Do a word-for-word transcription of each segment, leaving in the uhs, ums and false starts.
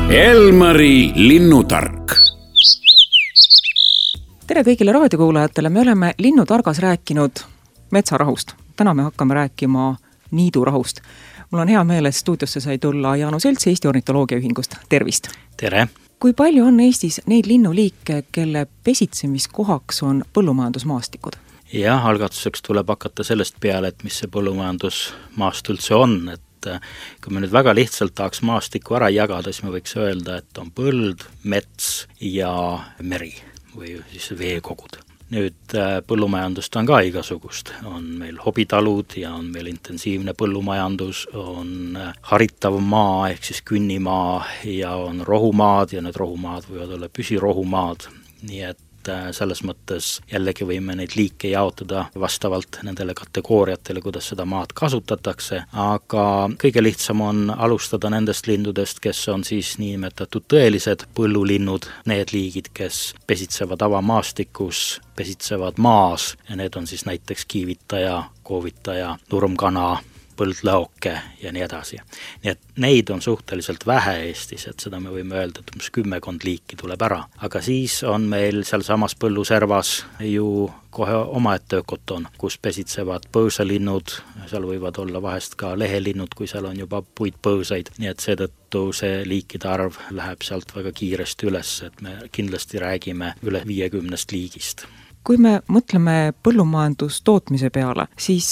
Elmari linnutark. Tere kõigile raadiokuulajatele, me oleme Linnutargas rääkinud metsarahust. Täna me hakkame rääkima niidurahust. Mul on hea meel, et stuudiosse sai tulla Jaanu Selts Eesti Ornitoloogia Ühingust. Tervist! Tere! Kui palju on Eestis neid linnuliike, kelle pesitsemiskohaks on põllumajandusmaastikud? Jah, algatuseks tuleb hakata sellest peale, et mis see põllumajandusmaast üldse on, et kui me nüüd väga lihtsalt tahaks maastikku ära jagada, siis me võiks öelda, et on põld, mets ja meri või siis veekogud. Nüüd põllumajandust on ka igasugust. On meil hobitalud ja on meil intensiivne põllumajandus, on haritav maa ehk siis künnimaa ja on rohumaad ja need rohumaad võivad olla püsirohumaad. Nii et selles mõttes jällegi võime neid liike jaotada vastavalt nendele kategooriatele, kuidas seda maad kasutatakse, aga kõige lihtsam on alustada nendest lindudest, kes on siis niinimetatud tõelised põllulinnud, need liigid, kes pesitsevad avamaastikus, pesitsevad maas ja need on siis näiteks kiivitaja, koovitaja, nurmkana, põldlõoke ja nii edasi. Nii et neid on suhteliselt vähe Eestis, et seda me võime öelda, et umbes kümmekond liiki tuleb ära. Aga siis on meil seal samas põlluservas ju kohe omaette ökoton, kus pesitsevad põõsalinnud, seal võivad olla vahest ka lehelinnud, kui seal on juba puitpõõsaid. Nii et seetõttu see liikide arv läheb sealt väga kiiresti üles, et me kindlasti räägime üle viiekümnest liigist. Kui me mõtleme põllumajandustootmise peale, siis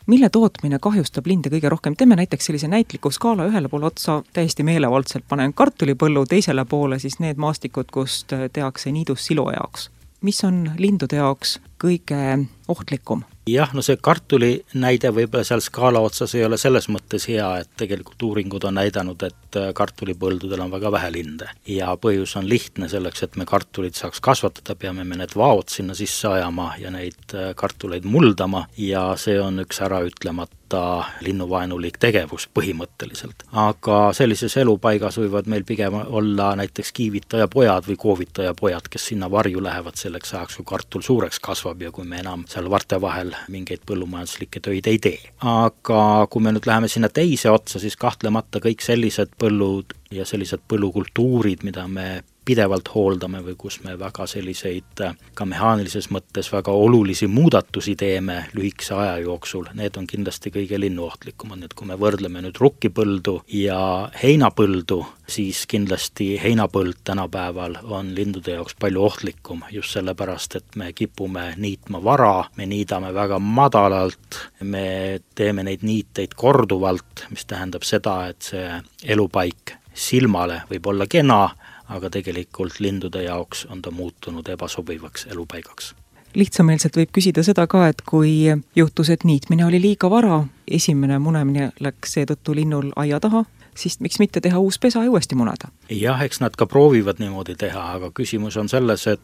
mille tootmine kahjustab linde kõige rohkem? Teeme näiteks sellise näitliku skaala ühele poole otsa, täiesti meelevaldselt panen kartulipõllu, teisele poole siis need maastikud, kust tehakse niidus silo jaoks. Mis on lindude jaoks kõige ohtlikum? Jah, no see kartuli näide võib-olla seal skaala otsas ei ole selles mõttes hea, et tegelikult uuringud on näidanud, et kartulipõldudel on väga vähe linde. Ja põhjus on lihtne selleks, et me kartulit saaks kasvatada, peame me need vaod sinna sisse ajama ja neid kartuleid muldama ja see on üks ära ütlemata linnuvaenulik tegevus põhimõtteliselt. Aga sellises elupaigas võivad meil pigem olla näiteks kiivitaja pojad või koovitaja pojad, kes sinna varju lähevad selleks ajaks, kui kartul suureks kasvab ja kui me enam seal varte vahel mingeid põllumajanduslikke töid ei tee. Aga kui me nüüd läheme sinna teise otsa, siis kahtlemata kõik sellised põllud ja sellised põllukultuurid, mida me pidevalt hooldame või kus me väga selliseid ka mehaanilises mõttes väga olulisi muudatusi teeme lühikese aja jooksul, need on kindlasti kõige linnuohtlikumad. Nüüd kui me võrdleme nüüd rukkipõldu ja heinapõldu, siis kindlasti heinapõld tänapäeval on lindude jaoks palju ohtlikum, just sellepärast, et me kipume niitma vara, me niidame väga madalalt, me teeme neid niiteid korduvalt, mis tähendab seda, et see elupaik silmale võib olla kena, aga tegelikult lindude jaoks on ta muutunud ebasobivaks elupaigaks. Lihtsameelselt võib küsida seda ka, et kui juhtus, et niitmine oli liiga vara, esimene munemine läks seetõttu linnul aia taha, siis miks mitte teha uus pesa ja uuesti muneda? Jah, eks nad ka proovivad niimoodi teha, aga küsimus on selles, et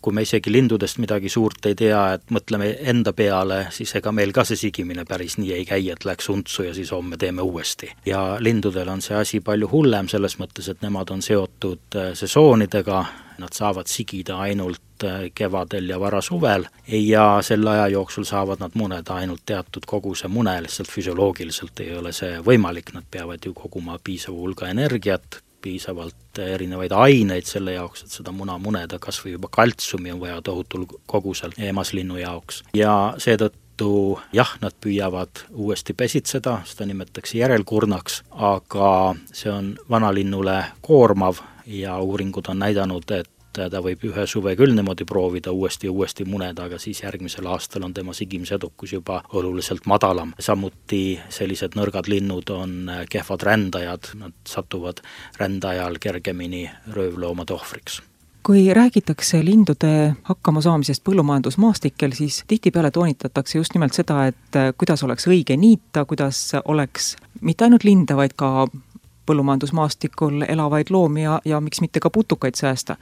kui me isegi lindudest midagi suurt ei tea, et mõtleme enda peale, siis ega meil ka see sigimine päris nii ei käi, et läks untsu ja siis homme teeme uuesti. Ja lindudel on see asi palju hullem selles mõttes, et nemad on seotud sesoonidega, nad saavad sigida ainult kevadel ja varasuvel ja selle aja jooksul saavad nad muneda ainult teatud koguse mune, lihtsalt füsioloogiliselt ei ole see võimalik, nad peavad ju koguma piisava hulga energiat, piisavalt erinevaid aineid selle jaoks, et seda muna muneda, kas või juba kaltsiumi on vaja tohutul kogusel eemaslinnu jaoks. Ja seetõttu jah, nad püüavad uuesti pesitseda, seda nimetatakse järelkurnaks, aga see on vanalinnule koormav ja uuringud on näidanud, et ta võib ühe suve küll niimoodi proovida uuesti ja uuesti muneda, aga siis järgmisel aastal on tema sigimisedukus juba oluliselt madalam. Samuti sellised nõrgad linnud on kehvad rändajad, nad satuvad rändajal kergemini röövloomade ohvriks. Kui räägitakse lindude hakkama saamisest põllumajandusmaastikel, siis tihtipeale toonitatakse just nimelt seda, et kuidas oleks õige niita, kuidas oleks mitte ainult linde, vaid ka põllumajandusmaastikul elavaid loomi ja, ja miks mitte ka putukaid säästa.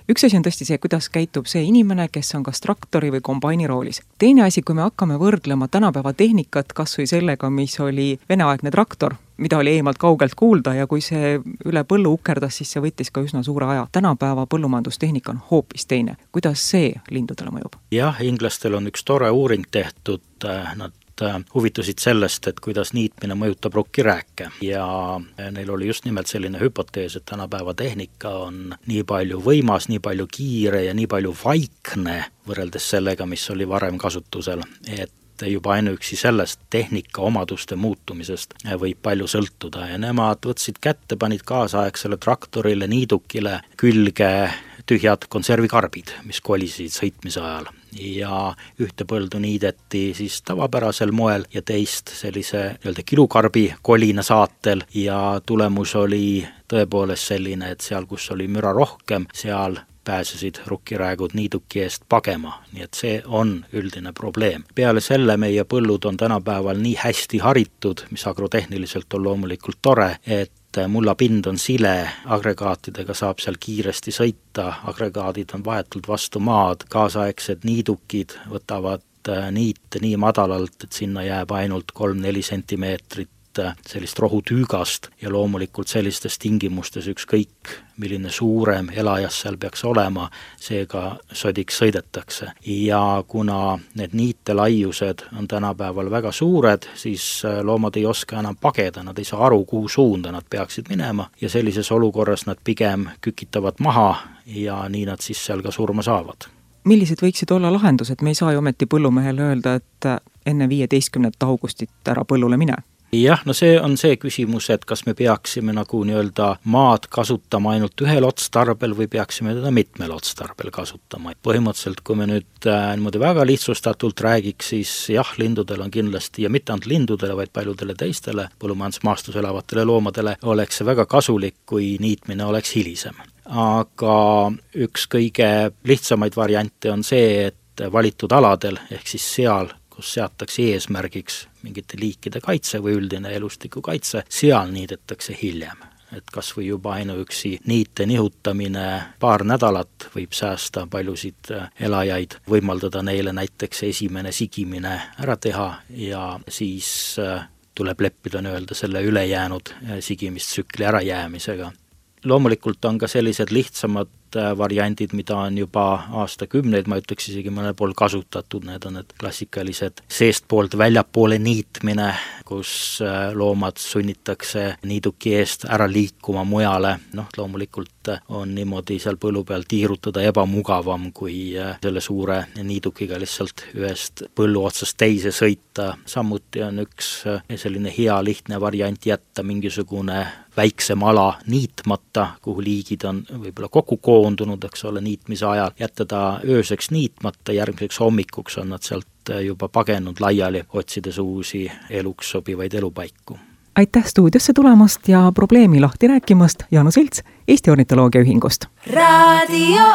Üks asi on tõesti see, kuidas käitub see inimene, kes on kas traktori või kombaini roolis. Teine asi, kui me hakkame võrdlema tänapäeva tehnikat kas või sellega, mis oli veneaegne traktor, mida oli eemalt kaugelt kuulda ja kui see üle põllu ukerdas, siis see võttis ka üsna suure aja. Tänapäeva põllumajandustehnika on hoopis teine. Kuidas see lindudele mõjub? Jah, inglastel on üks tore uuring tehtud, nad huvitusid sellest, et kuidas niitmine mõjutab rukkirääke ja neil oli just nimelt selline hüpotees, et tänapäeva tehnika on nii palju võimas, nii palju kiire ja nii palju vaikne võrreldes sellega, mis oli varem kasutusel, et juba ainuüksi sellest tehnika omaduste muutumisest võib palju sõltuda ja nemad võtsid kätte, panid kaasaegsele traktorile, niidukile külge tühjad konservikarbid, mis kolisid sõitmise ajal ja ühte põldu niideti siis tavapärasel moel ja teist sellise nii-öelda kilukarbi kolina saatel ja tulemus oli tõepoolest selline, et seal, kus oli müra rohkem, seal pääsesid rukkiräägud niiduki eest pagema, nii et see on üldine probleem. Peale selle meie põllud on tänapäeval nii hästi haritud, mis agrotehniliselt on loomulikult tore, et mullapind on sile, agregaatidega saab seal kiiresti sõita, agregaadid on vahetult vastu maad, kaasaegsed niidukid võtavad niite nii madalalt, et sinna jääb ainult kolm-neli sentimeetrit sellist rohutüügast ja loomulikult sellistes tingimustes ükskõik, milline suurem elajas seal peaks olema, seega sodiks sõidetakse. Ja kuna need niitelaiused on tänapäeval väga suured, siis loomad ei oska enam pageda, nad ei saa aru, kuhu suunda nad peaksid minema ja sellises olukorras nad pigem kükitavad maha ja nii nad siis seal ka surma saavad. Millised võiksid olla lahendused? Me ei saa ju ometi põllumehele öelda, et enne viieteistkümnendat augustit ära põllule mine. Jah, no see on see küsimus, et kas me peaksime nagu nii-öelda maad kasutama ainult ühel otstarbel või peaksime teda mitmel otstarbel kasutama. Põhimõtteliselt, kui me nüüd niimoodi väga lihtsustatult räägiks, siis jah, lindudel on kindlasti ja mitte ainult lindudele, vaid paljudele teistele põllumajandusmaastus elavatele loomadele oleks see väga kasulik, kui niitmine oleks hilisem. Aga üks kõige lihtsamaid variante on see, et valitud aladel ehk siis seal, kus seatakse eesmärgiks mingite liikide kaitse või üldine elustiku kaitse, seal niidetakse hiljem. Et kas või juba ainuüksi niite nihutamine paar nädalat võib säästa paljusid elajaid, võimaldada neile näiteks esimene sigimine ära teha ja siis tuleb leppida nii-öelda selle ülejäänud sigimistsükli ärajäämisega. Loomulikult on ka sellised lihtsamad variandid, mida on juba aastakümneid, ma ütleks isegi mõnel pool kasutatud, need on need klassikalised seestpoolt väljapoole niitmine, kus loomad sunnitakse niiduki eest ära liikuma mujale. Noh, loomulikult on niimoodi seal põllu peal tiirutada ebamugavam, kui selle suure niidukiga lihtsalt ühest põllu otsast teise sõita. Samuti on üks selline hea lihtne variant jätta mingisugune väiksem ala niitmata, kuhu liigid on võib-olla kokku koondunud, eks ole, niitmise ajal, jätta ta ööseks niitmata, järgmiseks hommikuks on nad sealt juba pagenud laiali, otsides uusi eluks sobivaid elupaiku. Aitäh stuudiosse tulemast ja probleemi lahti rääkimast, Jaanus Ilts Eesti Ornitoloogia Ühingust. Radio